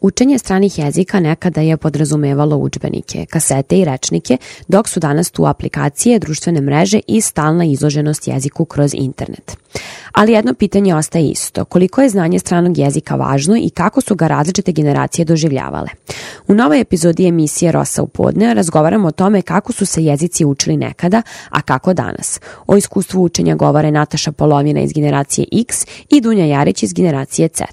Učenje stranih jezika nekada je podrazumevalo udžbenike, kasete i rečnike, dok su danas tu aplikacije, društvene mreže i stalna izloženost jeziku kroz internet. Ali jedno pitanje ostaje isto. Koliko je znanje stranog jezika važno i kako su ga različite generacije doživljavale? U novoj epizodi emisije Rosa u podne razgovaramo o tome kako su se jezici učili nekada, a kako danas. O iskustvu učenja govore Nataša Polovina iz generacije X i Dunja Jarić iz generacije Z.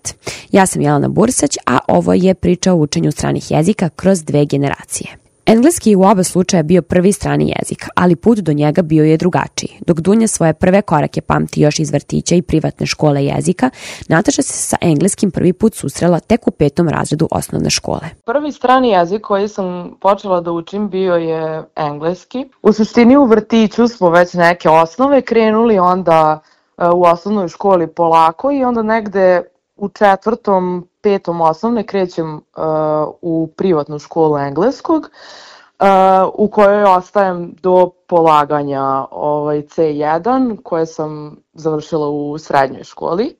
Ja sam Jelena Bursać, a ovo je priča o učenju stranih jezika kroz 2 generacije. Engleski je u oba slučaja bio prvi strani jezik, ali put do njega bio je drugačiji. Dok Dunja svoje prve korake pamti još iz vrtića i privatne škole jezika, Nataša se sa engleskim prvi put susrela tek u 5. razredu osnovne škole. Prvi strani jezik koji sam počela da učim bio je engleski. U suštini u vrtiću smo već neke osnove krenuli, onda u osnovnoj školi polako i onda negde u 4., 5. osnovne krećem u privatnu školu engleskog u kojoj ostajem do polaganja C1 koje sam završila u srednjoj školi.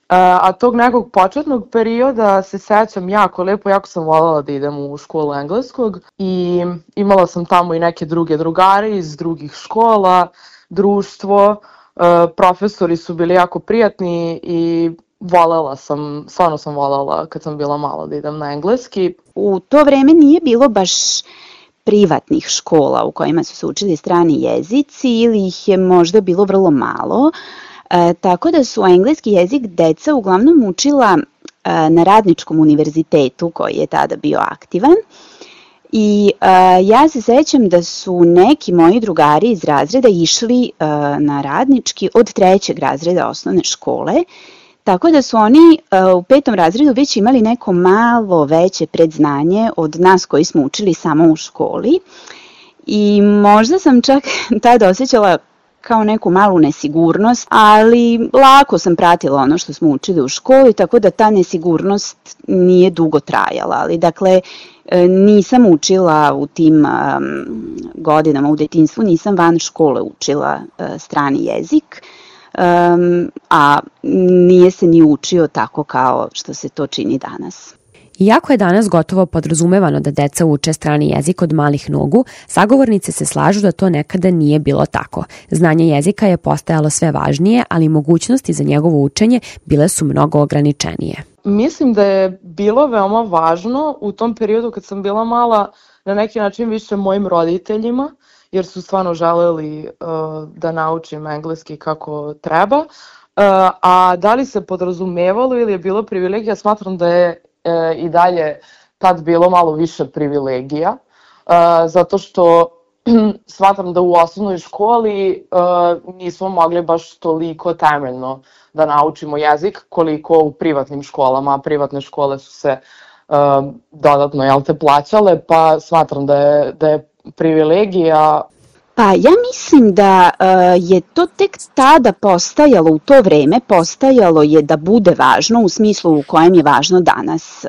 A tog nekog početnog perioda se sećam jako lepo, jako sam voljela da idem u školu engleskog i imala sam tamo i neke druge drugare iz drugih škola, društvo, profesori su bili jako prijatni i stvarno sam voljela kad sam bila mala da idem na engleski. U to vreme nije bilo baš privatnih škola u kojima su se učili strani jezici ili ih je možda bilo vrlo malo, tako da su engleski jezik deca uglavnom učila na Radničkom univerzitetu koji je tada bio aktivan. I ja se sećam da su neki moji drugari iz razreda išli na Radnički od 3. razreda osnovne škole, tako da su oni u 5. razredu već imali neko malo veće predznanje od nas koji smo učili samo u školi. I možda sam čak tada osjećala kao neku malu nesigurnost, ali lako sam pratila ono što smo učili u školi, tako da ta nesigurnost nije dugo trajala. Ali dakle, nisam učila u tim godinama u detinjstvu, nisam van škole učila strani jezik, a nije se ni učio tako kao što se to čini danas. Iako je danas gotovo podrazumevano da deca uče strani jezik od malih nogu, sagovornice se slažu da to nekada nije bilo tako. Znanje jezika je postajalo sve važnije, ali mogućnosti za njegovo učenje bile su mnogo ograničenije. Mislim da je bilo veoma važno u tom periodu kad sam bila mala na neki način više mojim roditeljima, jer su stvarno želeli da naučim engleski kako treba. A da li se podrazumevalo ili je bilo privilegija, smatram da je i dalje tad bilo malo više privilegija, zato što smatram da u osnovnoj školi nismo mogli baš toliko temeljno da naučimo jezik koliko u privatnim školama, a privatne škole su se dodatno plaćale, pa smatram da je privilegija. Pa ja mislim da je to tek tada postajalo, u to vreme postajalo je da bude važno u smislu u kojem je važno danas.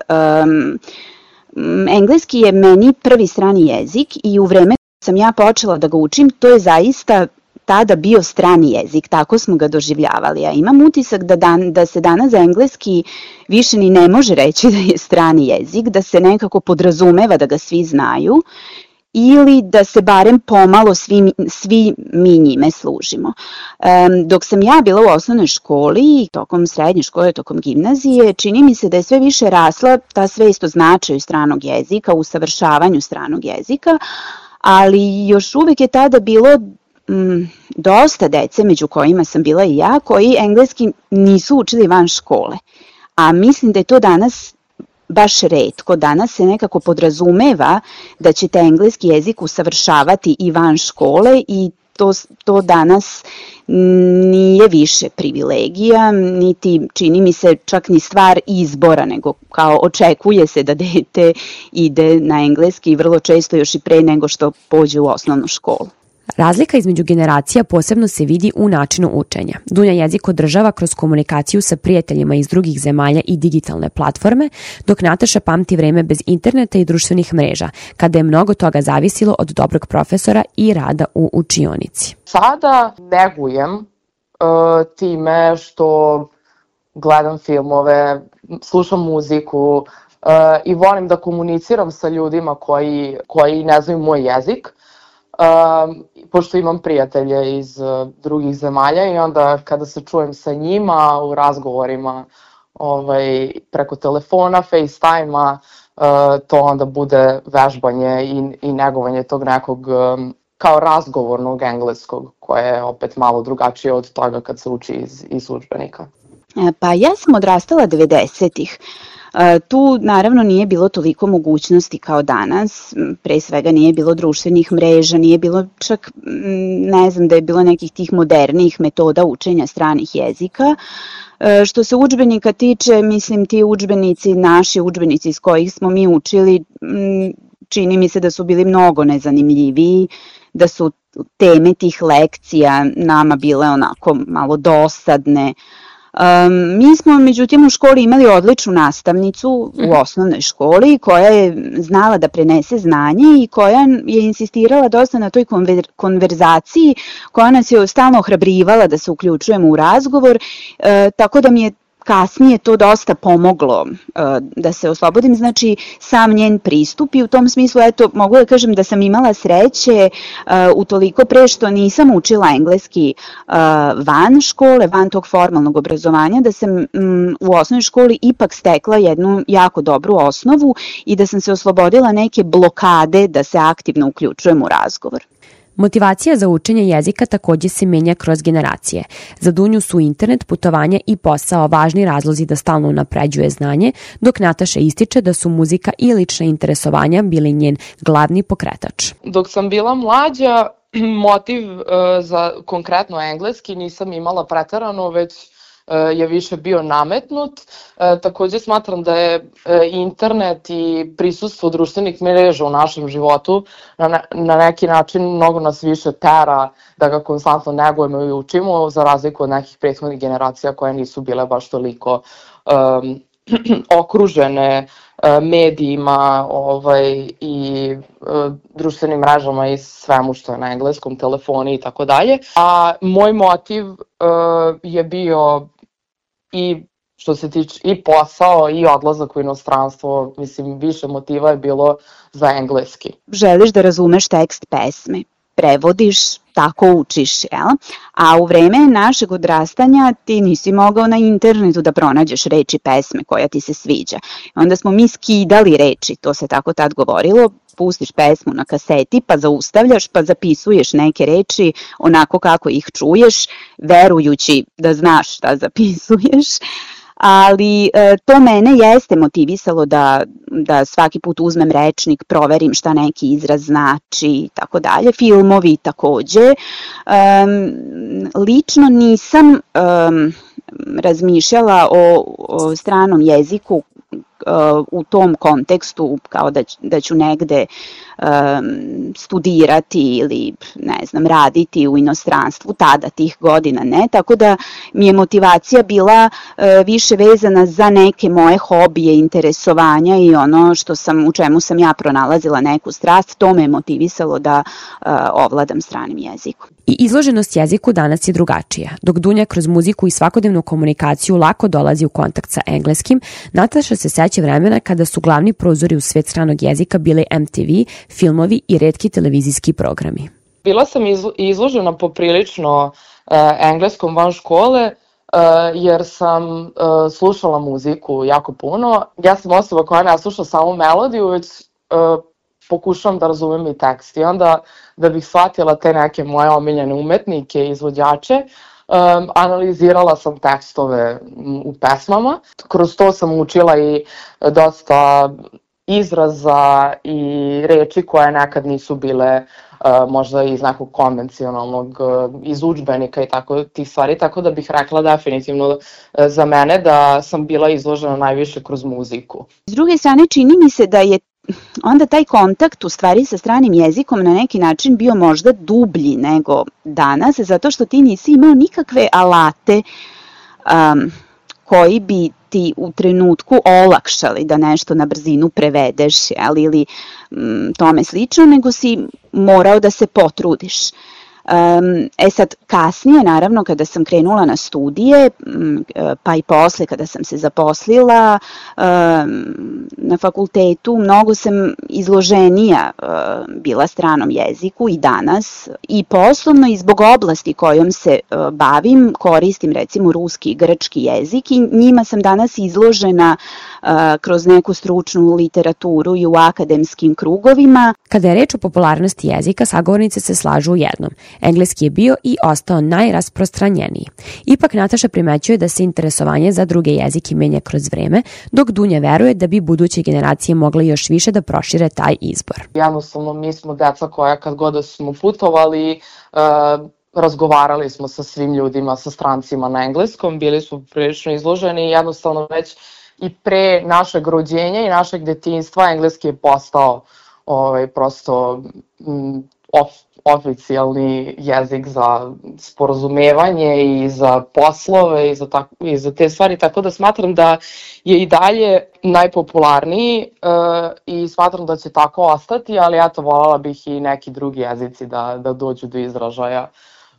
Engleski je meni prvi strani jezik i u vreme kad sam ja počela da ga učim, to je zaista tada bio strani jezik, tako smo ga doživljavali. Ja imam utisak da se danas za engleski više ni ne može reći da je strani jezik, da se nekako podrazumeva da ga svi znaju, ili da se barem pomalo svi mi njime služimo. Dok sam ja bila u osnovnoj školi, tokom srednje škole, tokom gimnazije, čini mi se da je sve više rasla ta svest o značaju stranog jezika, u usavršavanju stranog jezika, ali još uvek je tada bilo dosta dece, među kojima sam bila i ja, koji engleski nisu učili van škole. A mislim da je to danas baš retko. Danas se nekako podrazumeva da ćete engleski jezik usavršavati i van škole i to danas nije više privilegija, niti čini mi se čak ni stvar izbora, nego kao očekuje se da dete ide na engleski i vrlo često još i pre nego što pođe u osnovnu školu. Razlika između generacija posebno se vidi u načinu učenja. Dunja jezik održava kroz komunikaciju sa prijateljima iz drugih zemalja i digitalne platforme, dok Nataša pamti vreme bez interneta i društvenih mreža, kada je mnogo toga zavisilo od dobrog profesora i rada u učionici. Sada negujem time što gledam filmove, slušam muziku, i volim da komuniciram sa ljudima koji ne znaju moj jezik, pošto imam prijatelje iz drugih zemalja i onda kada se čujem sa njima u razgovorima preko telefona, FaceTime-a, to onda bude vežbanje i negovanje tog nekog kao razgovornog engleskog, koje je opet malo drugačije od toga kad se uči iz udžbenika. Pa ja sam odrastala 90-ih. Tu naravno nije bilo toliko mogućnosti kao danas, pre svega nije bilo društvenih mreža, nije bilo čak, ne znam da je bilo nekih tih modernijih metoda učenja stranih jezika. Što se udžbenika tiče, mislim ti udžbenici, naši udžbenici iz kojih smo mi učili, čini mi se da su bili mnogo nezanimljiviji, da su teme tih lekcija nama bile onako malo dosadne. Mi smo međutim u školi imali odličnu nastavnicu u osnovnoj školi koja je znala da prenese znanje i koja je insistirala dosta na toj konverzaciji, koja nas je stalno ohrabrivala da se uključujemo u razgovor, tako da mi je kasnije to dosta pomoglo da se oslobodim, znači sam njen pristup i u tom smislu, eto, mogu da kažem da sam imala sreće utoliko pre što nisam učila engleski van škole, van tog formalnog obrazovanja, da sam u osnovnoj školi ipak stekla jednu jako dobru osnovu i da sam se oslobodila neke blokade da se aktivno uključujem u razgovor. Motivacija za učenje jezika takođe se menja kroz generacije. Za Dunju su internet, putovanja i posao važni razlozi da stalno unapređuje znanje, dok Nataša ističe da su muzika i lična interesovanja bili njen glavni pokretač. Dok sam bila mlađa, motiv za konkretno engleski nisam imala preterano, već je više bio nametnut. Takođe smatram da je internet i prisustvo društvenih mreža u našem životu na neki način mnogo nas više tera da ga konstantno negujemo i učimo, za razliku od nekih prethodnih generacija koje nisu bile baš toliko okružene medijima i društvenim mrežama i svemu što je na engleskom, telefoni i tako dalje. A moj motiv je bio i što se tiče i posao i odlazak u inostranstvo, mislim više motiva je bilo za engleski. Želiš da razumeš tekst pesme, prevodiš, tako učiš, jel? A u vreme našeg odrastanja ti nisi mogao na internetu da pronađeš reči pesme koja ti se sviđa. Onda smo mi skidali reči, to se tako tad govorilo, pustiš pesmu na kaseti pa zaustavljaš pa zapisuješ neke reči onako kako ih čuješ, verujući da znaš šta zapisuješ. Ali to mene jeste motivisalo da svaki put uzmem rečnik, proverim šta neki izraz znači i tako dalje. Filmovi takođe. Lično nisam razmišljala o stranom jeziku u tom kontekstu kao da ću negde studirati ili ne znam raditi u inostranstvu, tada tih godina ne, tako da mi je motivacija bila više vezana za neke moje hobije, interesovanja i ono u čemu sam ja pronalazila neku strast, to me je motivisalo da ovladam stranim jezikom. I izloženost jeziku danas je drugačija. Dok Dunja kroz muziku i svakodnevnu komunikaciju lako dolazi u kontakt sa engleskim, Nataša se seća vremena kada su glavni prozori u svet stranog jezika bile MTV, filmovi i retki televizijski programi. Bila sam izložena poprilično engleskom van škole, jer sam slušala muziku jako puno. Ja sam osoba koja ne sluša samo melodiju, već pokušavam da razumem i tekst. I onda da bih shvatila te neke moje omiljene umetnike, izvođače, analizirala sam tekstove u pesmama. Kroz to sam učila i dosta izraza i reči koje nekad nisu bile možda iz nekog konvencionalnog, iz udžbenika i tako tih stvari, tako da bih rekla definitivno za mene da sam bila izložena najviše kroz muziku. S druge strane, čini mi se da je onda taj kontakt u stvari sa stranim jezikom na neki način bio možda dublji nego danas, zato što ti nisi imao nikakve alate koji bi ti u trenutku olakšali da nešto na brzinu prevedeš ili tome slično, nego si morao da se potrudiš. Sad, kasnije, naravno, kada sam krenula na studije, pa i posle kada sam se zaposlila na fakultetu, mnogo sam izloženija bila stranom jeziku i danas, i poslovno i zbog oblasti kojom se bavim, koristim recimo ruski i grčki jezik i njima sam danas izložena kroz neku stručnu literaturu i u akademskim krugovima. Kada je reč o popularnosti jezika, sagovornice se slažu u jednom. Engleski je bio i ostao najrasprostranjeniji. Ipak Nataša primećuje da se interesovanje za druge jezike menja kroz vreme, dok Dunja veruje da bi buduće generacije mogle još više da prošire taj izbor. Jednostavno, mi smo deca koja kad god smo putovali, razgovarali smo sa svim ljudima, sa strancima na engleskom, bili smo prilično izloženi i jednostavno već i pre našeg rođenja i našeg detinjstva engleski je postao prosto oficijalni jezik za sporazumevanje i za poslove i za te stvari, tako da smatram da je i dalje najpopularniji i smatram da će tako ostati, ali eto, voljela bih i neki drugi jezici da dođu do izražaja,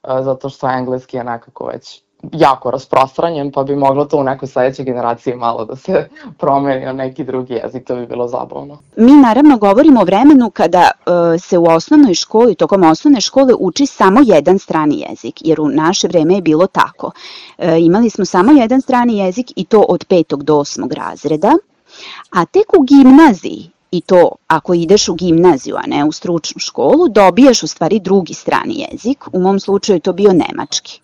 zato što engleski je nekako već jako rasprostranjen, pa bi moglo to u nekoj sledećoj generaciji malo da se promeni na neki drugi jezik, to bi bilo zabavno. Mi naravno govorimo o vremenu kada se u osnovnoj školi, tokom osnovne škole uči samo jedan strani jezik, jer u naše vreme je bilo tako. Imali smo samo jedan strani jezik i to od 5. do 8. razreda, a tek u gimnaziji, i to ako ideš u gimnaziju, a ne u stručnu školu, dobijaš u stvari drugi strani jezik, u mom slučaju je to bio nemački.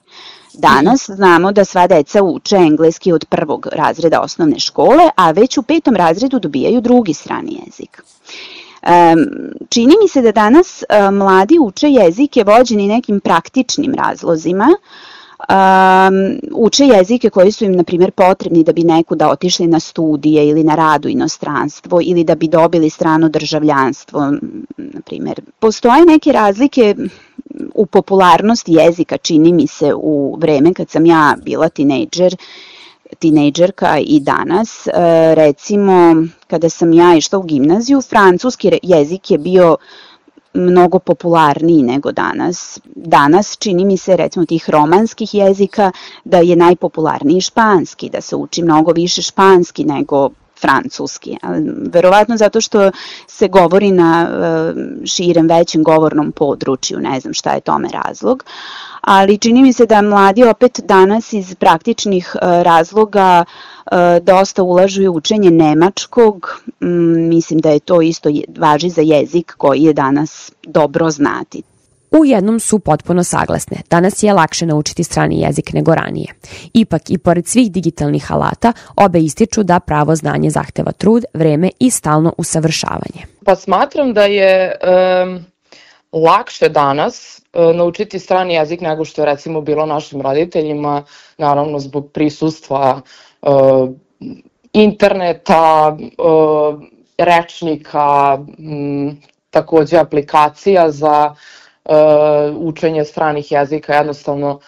Danas znamo da sva deca uče engleski od 1. razreda osnovne škole, a već u 5. razredu dobijaju drugi strani jezik. Čini mi se da danas mladi uče jezike vođeni nekim praktičnim razlozima, uče jezike koji su im, na primjer, potrebni da bi nekuda otišli na studije ili na rad u inostranstvo ili da bi dobili strano državljanstvo, na primjer. Postoje neke razlike u popularnosti jezika, čini mi se, u vreme kad sam ja bila tinejdžerka i danas. Recimo, kada sam ja išla u gimnaziju, francuski jezik je bio mnogo popularniji nego danas. Danas čini mi se, recimo, tih romanskih jezika da je najpopularniji španski, da se uči mnogo više španski nego francuski. Verovatno zato što se govori na širem, većem govornom području, ne znam šta je tome razlog, ali čini mi se da mladi opet danas iz praktičnih razloga dosta ulažu u učenje nemačkog. Mislim da je to isto važi za jezik koji je danas dobro znati. U jednom su potpuno saglasne. Danas je lakše naučiti strani jezik nego ranije. Ipak, i pored svih digitalnih alata, obe ističu da pravo znanje zahteva trud, vreme i stalno usavršavanje. Pa smatram da je lakše danas naučiti strani jezik nego što je recimo bilo našim roditeljima, naravno zbog prisustva interneta, rečnika, takođe aplikacija za učenje stranih jezika. Jednostavno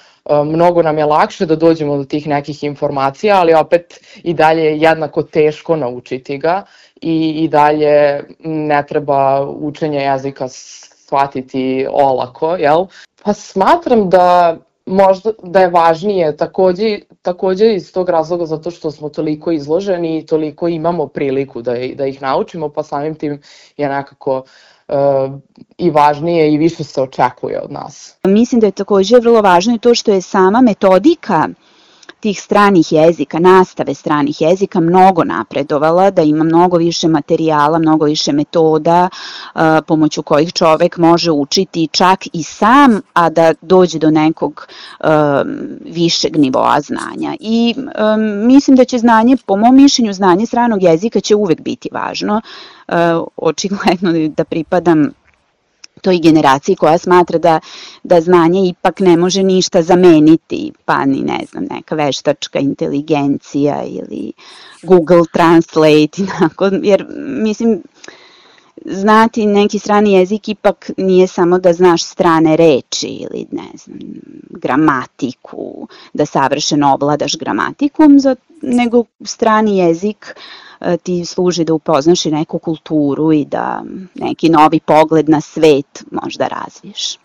mnogo nam je lakše da dođemo do tih nekih informacija, ali opet i dalje je jednako teško naučiti ga i dalje ne treba učenje jezika shvatiti olako, jel? Pa smatram da možda da je važnije takođe iz tog razloga zato što smo toliko izloženi i toliko imamo priliku da ih naučimo, pa samim tim je nekako i važnije i više se očekuje od nas. Mislim da je takođe vrlo važno i to što je sama metodika tih stranih jezika, nastave stranih jezika mnogo napredovala, da ima mnogo više materijala, mnogo više metoda pomoću kojih čovek može učiti čak i sam, a da dođe do nekog višeg nivoa znanja. I mislim da će znanje, po mom mišljenju, znanje stranog jezika će uvek biti važno. Očigledno da pripadam toj generaciji koja smatra da znanje ipak ne može ništa zameniti, pa ni ne znam, neka veštačka inteligencija ili Google Translate, jer mislim, znati neki strani jezik ipak nije samo da znaš strane reči ili ne znam, gramatiku, da savršeno ovladaš gramatikom, nego strani jezik ti služi da upoznaš i neku kulturu i da neki novi pogled na svet možda razviješ.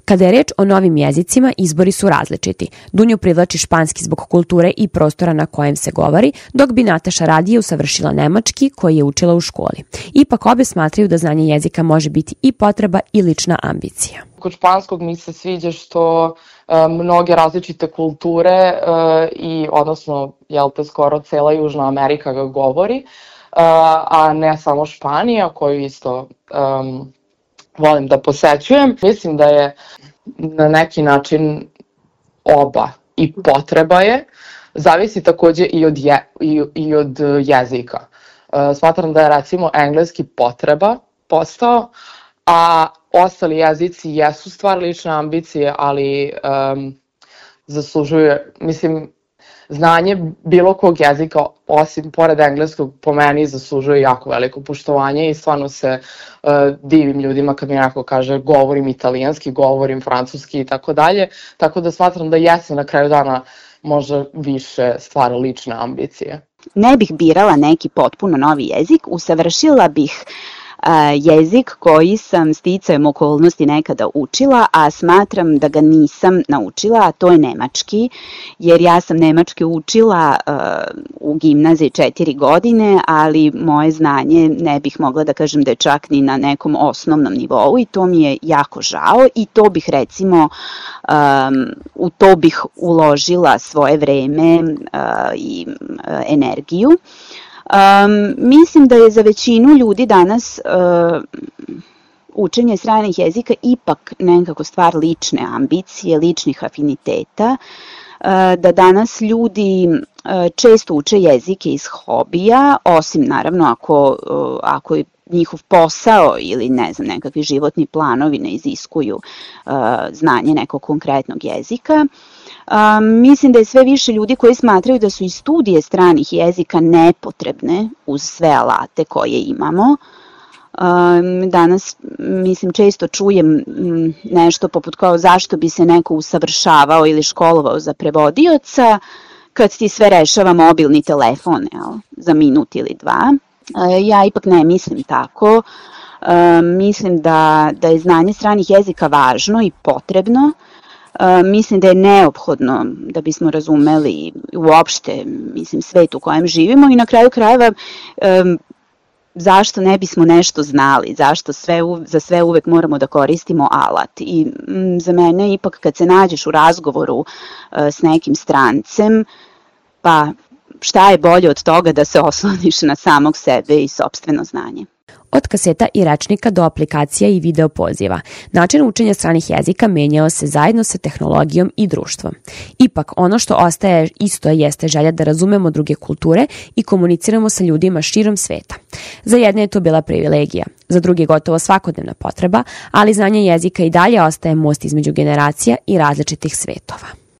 Kada je reč o novim jezicima, izbori su različiti. Dunju privlači španski zbog kulture i prostora na kojem se govori, dok bi Nataša radije usavršila nemački koji je učila u školi. Ipak obe smatraju da znanje jezika može biti i potreba i lična ambicija. Kod španskog mi se sviđa što mnoge različite kulture i odnosno skoro cela Južna Amerika ga govori, a ne samo Španija koju isto volim da posećujem. Mislim da je na neki način oba i potreba je, zavisi takođe i od jezika. Smatram da je recimo engleski potreba postao, a ostali jezici jesu stvar lične ambicije, ali zaslužuje, znanje bilo kog jezika, osim pored engleskog, po meni zaslužuje jako veliko poštovanje i stvarno se divim ljudima kad mi neko kaže govorim italijanski, govorim francuski i tako dalje, tako da smatram da jeste na kraju dana možda više stvar lične ambicije. Ne bih birala neki potpuno novi jezik, usavršila bih jezik koji sam sticajem okolnosti nekada učila, a smatram da ga nisam naučila, a to je nemački, jer ja sam nemački učila u gimnaziji 4 godine, ali moje znanje ne bih mogla da kažem da je čak ni na nekom osnovnom nivou i to mi je jako žao i to bih recimo, u to bih uložila svoje vreme i energiju. Mislim da je za većinu ljudi danas učenje stranih jezika ipak nekako stvar lične ambicije, ličnih afiniteta, da danas ljudi često uče jezike iz hobija, osim naravno ako je njihov posao ili nekakvi životni planovi ne iziskuju znanje nekog konkretnog jezika. Mislim da je sve više ljudi koji smatraju da su i studije stranih jezika nepotrebne uz sve alate koje imamo. Danas, često čujem nešto poput kao zašto bi se neko usavršavao ili školovao za prevodioca kad ti sve rešava mobilni telefon za minut ili dva. Ja ipak ne mislim tako. Mislim da je znanje stranih jezika važno i potrebno. Mislim da je neophodno da bismo razumeli uopšte svet u kojem živimo i na kraju krajeva zašto ne bismo nešto znali, zašto za sve uvek moramo da koristimo alat. I za mene ipak kad se nađeš u razgovoru s nekim strancem, pa šta je bolje od toga da se osloniš na samog sebe i sopstveno znanje. Od kaseta i rečnika do aplikacija i video poziva, način učenja stranih jezika menjao se zajedno sa tehnologijom i društvom. Ipak, ono što ostaje isto jeste želja da razumemo druge kulture i komuniciramo sa ljudima širom sveta. Za jedne je to bila privilegija, za druge gotovo svakodnevna potreba, ali znanje jezika i dalje ostaje most između generacija i različitih svetova.